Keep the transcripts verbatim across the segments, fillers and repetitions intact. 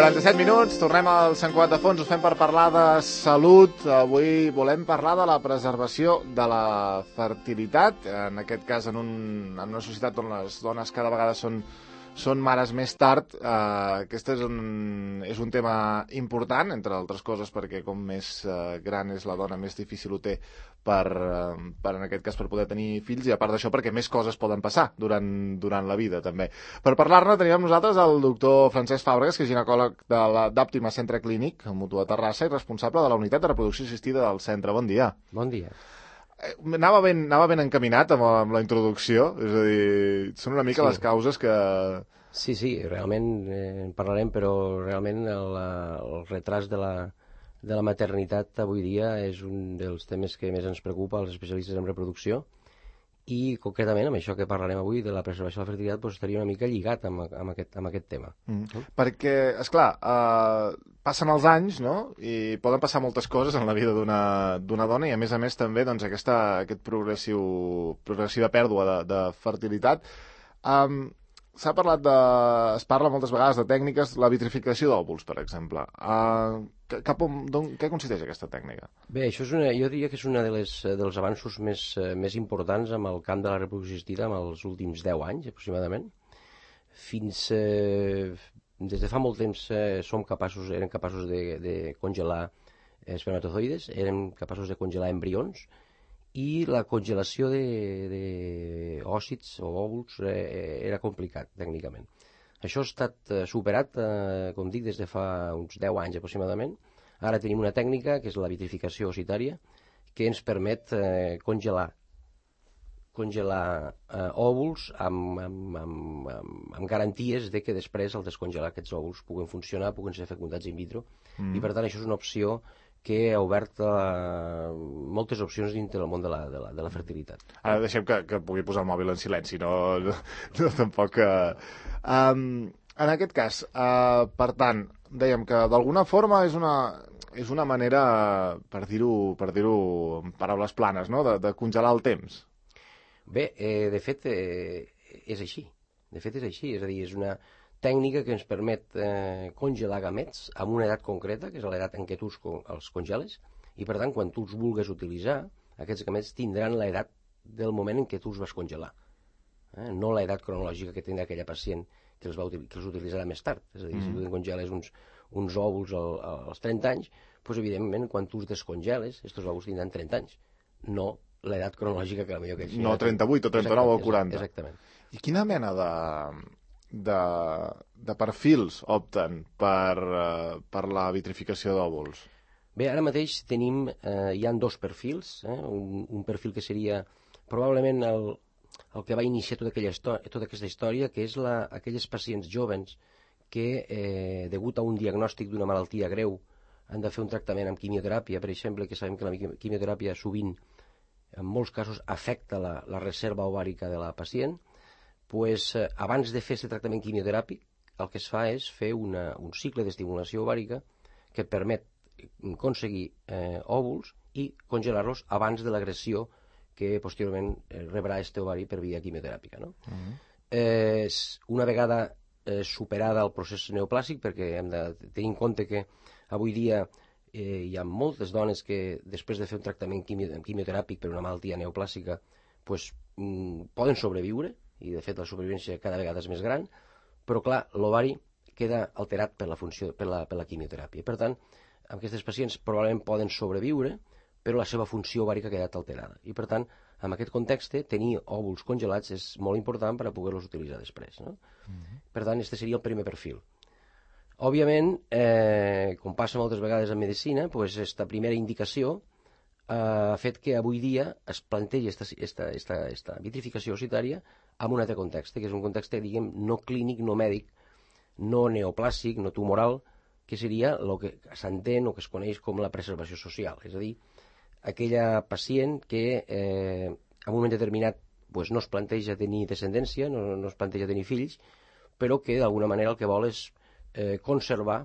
quaranta-set minuts, tornem al Sant Cugat de Fons, us fem per parlar de salut. Avui volem parlar de la preservació de la fertilitat, en aquest cas en, un, en una societat on les dones cada vegada són, són mares més tard. Uh, aquest és un, és un tema important, entre altres coses, perquè com més uh, gran és la dona, més difícil ho té per, uh, per, en aquest cas, per poder tenir fills, i a part d'això perquè més coses poden passar durant, durant la vida, també. Per parlar-ne tenim amb nosaltres el doctor Francesc Fàbregas, que és ginecòleg d'Òptima Centre Clínic, a Mutu de Terrassa, i responsable de la unitat de reproducció assistida del centre. Bon dia. Bon dia. Anava ben, anava ben encaminat amb, amb la introducció, és a dir, són una mica sí. les causes que... Sí, sí, realment eh, en parlarem, però realment el, el retras de la, de la maternitat avui dia és un dels temes que més ens preocupa als especialistes en reproducció, i concretament amb això que parlarem avui de la preservació de la fertilitat doncs, estaria una mica lligat amb, amb, aquest, amb aquest tema. Mm. Mm. Perquè, esclar, eh, passen els anys, no?, i poden passar moltes coses en la vida d'una dona, i a més a més també doncs, aquesta, aquest progressiu, progressiva pèrdua de, de fertilitat. Um, S'ha parlat de... es parla moltes vegades de tècniques, la vitrificació d'òvuls, per exemple. Uh, cap on, què consisteix aquesta tècnica? Bé, això és una, jo diria que és un de les, dels avanços més, més importants en el camp de la reproducció assistida en els últims deu anys, aproximadament. Fins... Eh, des de fa molt temps eh, som capaços, érem capaços de, de congelar espermatozoides, érem capaços de congelar embrions, i la congelació d'òcits o òvuls eh, era complicat, tècnicament. Això ha estat eh, superat, eh, com dic, des de fa uns deu anys aproximadament. Ara tenim una tècnica, que és la vitrificació ossitària, que ens permet eh, congelar congelar eh, òvuls amb, amb, amb, amb, amb garanties de que després, al descongelar aquests òvuls, puguen funcionar, puguen ser fecundats in vitro, mm. i per tant això és una opció que ha obert uh, moltes opcions dintre del món de la, de la, de la fertilitat. Ara deixem que, que pugui posar el mòbil en silenci, no, no, no tampoc... Uh, um, en aquest cas, uh, per tant, dèiem que d'alguna forma és una, és una manera, per dir-ho per dir-ho en paraules planes, no?, de, de congelar el temps. Bé, eh, de fet, eh, és així. De fet, és així. És a dir, és una tècnica que ens permet eh, congelar gamets amb una edat concreta, que és l'edat en què tu els congeles, i per tant, quan tu els vulgues utilitzar, aquests gamets tindran l'edat del moment en què tu els vas congelar. Eh? No l'edat cronològica que tindrà aquella pacient que els, va util que els utilitzarà més tard. És a dir, mm. si tu congeles uns, uns òvuls al, als trenta anys, doncs, evidentment, quan tu els descongeles, aquests òvuls tindran trenta anys. No l'edat cronològica que potser que ells... No trenta-vuit o trenta-nou o quaranta. Exactament. I quina mena de... De, de perfils opten per, uh, per la vitrificació d'òvuls? Bé, ara mateix tenim, eh, hi ha dos perfils, eh? un, un perfil que seria probablement el, el que va iniciar tota, aquella tota aquesta història, que és la, aquelles pacients jovens que, eh, degut a un diagnòstic d'una malaltia greu, han de fer un tractament amb quimioteràpia, per exemple, que sabem que la quimioteràpia sovint, en molts casos, afecta la, la reserva ovàrica de la pacient. Pues, eh, abans de fer aquest tractament quimioteràpic, el que es fa és fer una, un cicle d'estimulació ovàrica que permet aconseguir eh, òvuls i congelar-los abans de l'agressió que posteriorment eh, rebrà aquest ovari per via quimioteràpica. No? Uh-huh. eh, una vegada eh, superada el procés neoplàsic, perquè hem de tenir en compte que avui dia eh, hi ha moltes dones que després de fer un tractament quimio, quimioteràpic per una malaltia neoplàsica pues, mm, poden sobreviure, i de fet la supervivència cada vegada és més gran, però clar, l'ovari queda alterat per la, funció, per la, per la quimioteràpia. Per tant, aquestes pacients probablement poden sobreviure, però la seva funció ovàrica ha quedat alterada. I per tant, en aquest context, tenir òvuls congelats és molt important per a poder-los utilitzar després. No? Mm-hmm. Per tant, aquest seria el primer perfil. Òbviament, eh, com passa moltes vegades en medicina, doncs, aquesta primera indicació ha fet que avui dia es plantegi aquesta vitrificació ossitària en un altre context, que és un context, diguem, no clínic, no mèdic, no neoplàsic, no tumoral, que seria el que s'entén o que es coneix com la preservació social. És a dir, aquella pacient que eh, en un moment determinat pues, no es planteja tenir descendència, no, no es planteja tenir fills, però que d'alguna manera el que vol és eh, conservar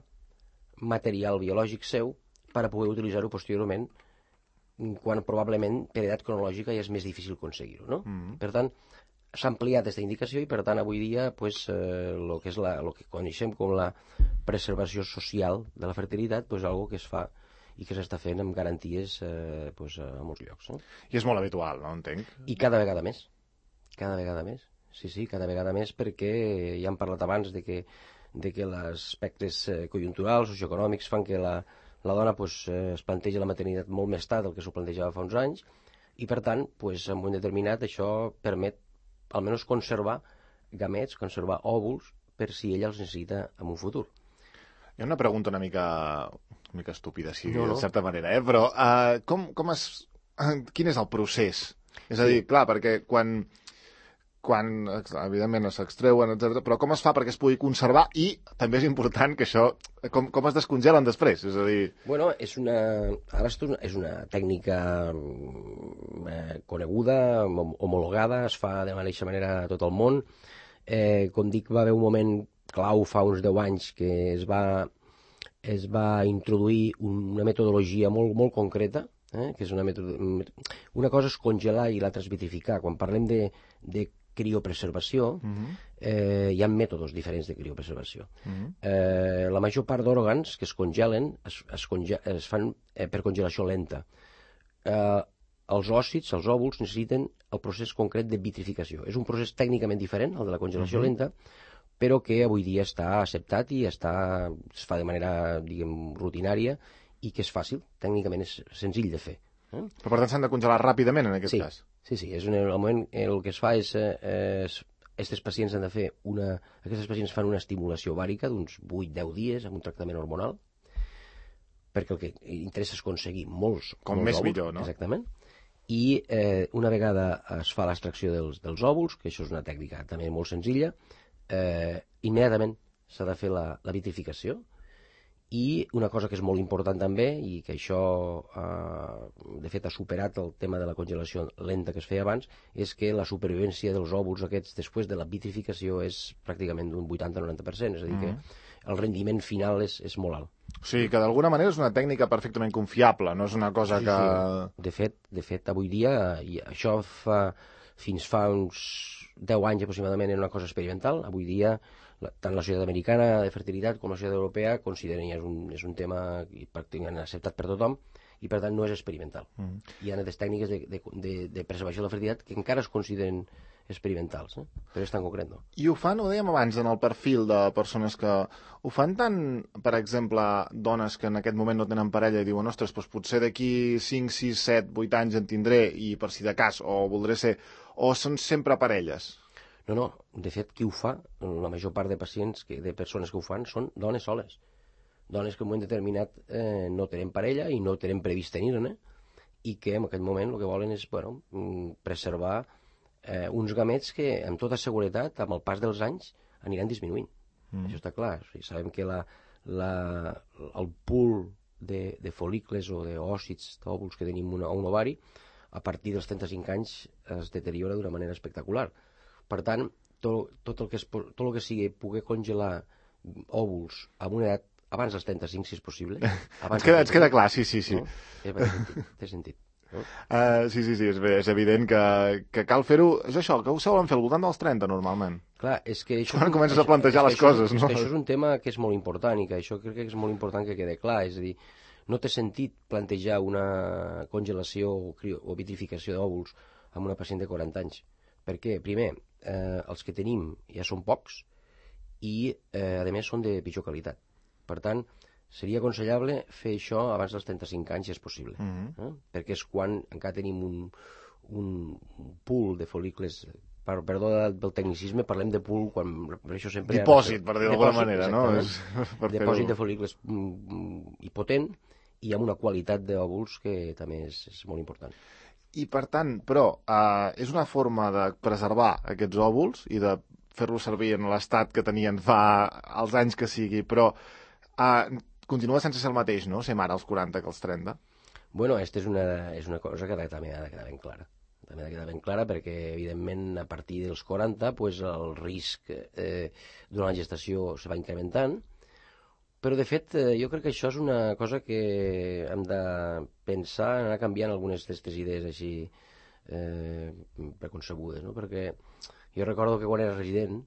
material biològic seu per a poder utilitzar-ho posteriorment, quan probablement per edat cronològica ja és més difícil aconseguir-ho. No? Mm-hmm. Per tant, s'ha ampliat aquesta indicació i, per tant, avui dia pues, eh, lo que és la, lo que coneixem com la preservació social de la fertilitat, pues, algo que es fa i que s'està fent amb garanties eh, pues, a molts llocs. Eh? I és molt habitual, no? Entenc. I cada vegada més. Cada vegada més. Sí, sí, cada vegada més, perquè ja hem parlat abans de que, de que els aspectes conjunturals, socioeconòmics, fan que la, la dona pues, es planteja la maternitat molt més tard del que s'ho plantejava fa uns anys, i per tant, pues, en un moment determinat, això permet almenys conservar gamets, conservar òvuls, per si ella els necessita en un futur. Hi ha una pregunta una mica, una mica estúpida, sí, no, no. de certa manera, eh? Però uh, com, com es, quin és el procés? És a dir, clar, perquè quan... quan, evidentment, s'extreuen, etcètera, però com es fa perquè es pugui conservar i, també és important que això, com, com es descongelen després, és a dir... Bueno, és una... Ara és una tècnica eh, coneguda, homologada, es fa de la mateixa manera a tot el món. Eh, com dic, va haver un moment clau fa uns deu anys que es va, es va introduir una metodologia molt, molt concreta, eh, que és una metodologia... Una cosa és congelar i l'altra és vitrificar. Quan parlem de, de criopreservació, uh-huh. eh, hi ha mètodes diferents de criopreservació. Uh-huh. Eh, la major part d'òrgans que es congelen es, es, conge es fan eh, per congelació lenta. Eh, els òssids, els òvuls, necessiten el procés concret de vitrificació. És un procés tècnicament diferent, el de la congelació uh-huh. lenta, però que avui dia està acceptat i està, es fa de manera, diguem, rutinària i que és fàcil, tècnicament és senzill de fer. Eh? Però per tant s'han de congelar ràpidament en aquest sí. cas? Sí, sí, és un, el moment el que es fa és, eh, és aquests pacients han de fer una, aquests pacients fan una estimulació ovàrica d'uns vuit a deu dies amb un tractament hormonal, perquè el que interessa és aconseguir molts, com molts més òvuls, millor, no? Exactament. I eh, una vegada es fa l'extracció dels, dels òvuls, que això és una tècnica també molt senzilla, eh, immediatament s'ha de fer la, la vitrificació. I una cosa que és molt important també, i que això eh, de fet ha superat el tema de la congelació lenta que es feia abans, és que la supervivència dels òvuls aquests després de la vitrificació és pràcticament d'un vuitanta a noranta per cent, és a dir, mm. que el rendiment final és, és molt alt. O sigui, que d'alguna manera és una tècnica perfectament confiable, no és una cosa sí, que... Sí. De fet, de fet, avui dia, i això fa, fins fa uns deu anys aproximadament era una cosa experimental, avui dia la, tant la Societat Americana de Fertilitat com la Societat Europea consideren que és un, és un tema pràcticament acceptat per tothom i per tant no és experimental. Mm. Hi ha altres tècniques de, de, de, de preservació de la fertilitat que encara es consideren experimentals, eh? Però és tan concret, no? I ho fan, ho dèiem abans, en el perfil de persones que ho fan tant, per exemple, dones que en aquest moment no tenen parella i diuen, ostres, doncs potser d'aquí cinc, sis, set, vuit anys en tindré i per si de cas, o voldré ser, o són sempre parelles? No, no, de fet, qui ho fa, la major part de pacients, que, de persones que ho fan, són dones soles. Dones que en un moment determinat eh, no tenen parella i no tenen previst tenir-ne, i que en aquest moment el que volen és, bueno, preservar eh, uns gamets que, amb tota seguretat, amb el pas dels anys, aniran disminuint. Mm. Això està clar. O sigui, sabem que la, la, el pool de, de folícules o d'òcits, d'òvuls que tenim una, a un ovari, a partir dels trenta-cinc anys es deteriora d'una manera espectacular. Per tant, tot, tot, el que es, tot el que sigui poder congelar òvuls a una edat abans dels trenta-cinc, si és possible. ens, queda, ens queda clar, sí, sí, sí. No? Té sentit, té sentit. No? Uh, sí, sí, sí, és, és evident que, que cal fer-ho... És això, que ho solen fer al voltant dels trenta, normalment. Clar, és que això... Quan comences a plantejar les això, coses, és, no? És que això és un tema que és molt important i que això crec que és molt important que quede clar. És a dir, no té sentit plantejar una congelació o, crio, o vitrificació d'òvuls amb una pacient de quaranta anys. Per què? Primer, eh, els que tenim ja són pocs i, eh, a més, són de pitjor qualitat. Per tant, seria aconsellable fer això abans dels trenta-cinc anys, si és possible. Mm-hmm. eh? Perquè és quan encara tenim un, un pool de folícules... Per, perdó del tecnicisme, parlem de pool quan... Per això sempre dipòsit, per dir d'alguna manera, no? És, per dipòsit de folícules mm, i potent i amb una qualitat d'òvuls que també és, és molt important. I, per tant, però, eh, és una forma de preservar aquests òvuls i de fer-los servir en l'estat que tenien fa els anys que sigui, però eh, continua sense ser el mateix, no?, ser mare als quaranta que als trenta. Bueno, aquesta és una, és una cosa que també ha de quedar ben clara. També ha de quedar ben clara perquè, evidentment, a partir dels quaranta, pues, el risc eh, durant la gestació se va incrementant. Però, de fet, jo crec que això és una cosa que hem de pensar, anar canviant algunes d'aquestes idees així eh, preconcebudes, no? Perquè jo recordo que quan era resident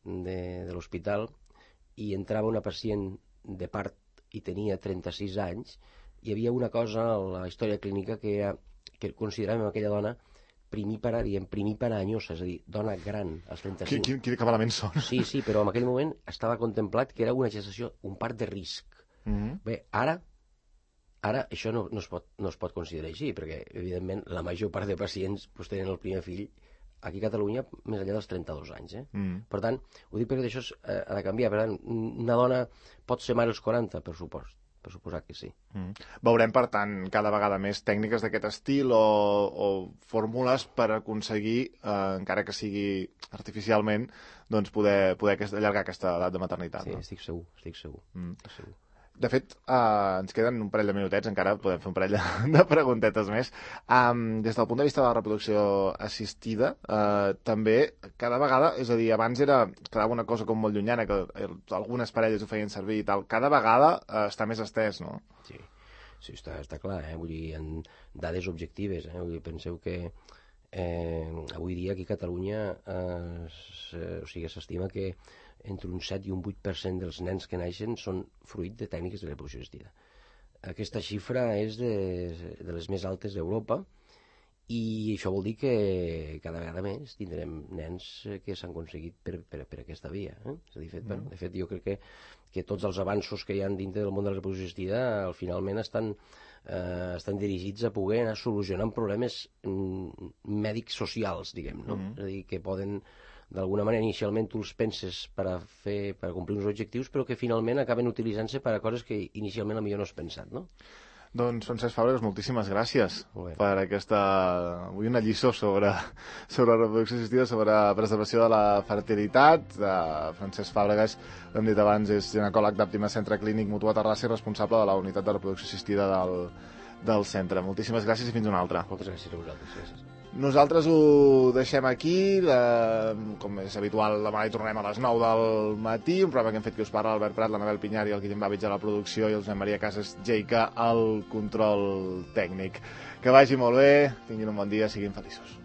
de, de l'hospital i entrava una pacient de part i tenia trenta-sis anys, hi havia una cosa a la història clínica que, era, que consideràvem aquella dona primípara, diem primípara anyosa, és a dir, dona gran, als trenta-cinc. Quin, quin, quin elements són? Sí, sí, però en aquell moment estava contemplat que era una gestació, un part de risc. Mm-hmm. Bé, ara, ara això no, no, es pot, no es pot considerar així, perquè, evidentment, la major part de pacients pues, tenen el primer fill aquí a Catalunya més enllà dels trenta-dos anys. Eh? Mm. Per tant, ho dic perquè això eh, ha de canviar. Per tant, una dona pot ser mare als quaranta, per supost. Per suposat que sí. Mm. Veurem, per tant, cada vegada més tècniques d'aquest estil o, o fórmules per aconseguir, eh, encara que sigui artificialment, doncs poder, poder allargar aquesta edat de maternitat. Sí, no? estic segur, estic segur. Mm. Estic segur. De fet, eh, ens queden un parell de minutets, encara podem fer un parell de, de preguntetes més. Um, des del punt de vista de la reproducció assistida, eh, també cada vegada, és a dir, abans era quedava una cosa com molt llunyana, que algunes parelles ho feien servir i tal, cada vegada eh, està més estès, no? Sí, sí està, està clar, eh? Vull dir, hi ha dades objectives, eh? Vull dir, penseu que eh, avui dia aquí a Catalunya eh, o sigui, s'estima que entre un set i un vuit per cent dels nens que naixen són fruit de tècniques de reproducció assistida. Aquesta xifra és de, de les més altes d'Europa i això vol dir que cada vegada més tindrem nens que s'han aconseguit per, per, per aquesta via. Eh? És a dir, fet, mm. bueno, de fet, jo crec que, que tots els avanços que hi ha dintre del món de la reproducció assistida al finalment estan, eh, estan dirigits a poder anar solucionant problemes mm, mèdics socials, diguem, no? Mm. És a dir, que poden d'alguna manera inicialment tu els penses per a, fer, per a complir uns objectius, però que finalment acaben utilitzant-se per a coses que inicialment potser no has pensat, no? Doncs, Francesc Fàbregas, moltíssimes gràcies per aquesta... Avui una lliçó sobre, sobre reproducció assistida, sobre preservació de la fertilitat. Uh, Francesc Fàbregas, ho hem dit abans, és ginecòleg d'Àptima Centre Clínic Mutua Terrassa i responsable de la unitat de reproducció assistida del, del centre. Moltíssimes gràcies i fins una altra. Moltes gràcies a vosaltres. Gràcies. Nosaltres ho deixem aquí, la, com és habitual, demà hi tornem a les nou del matí, un programa que hem fet que us parla l'Albert Prat, l'Anabel Pinyar i el Guillem Babbage a la producció i el Josep Maria Casas Jeica al control tècnic. Que vagi molt bé, tinguin un bon dia, siguin feliços.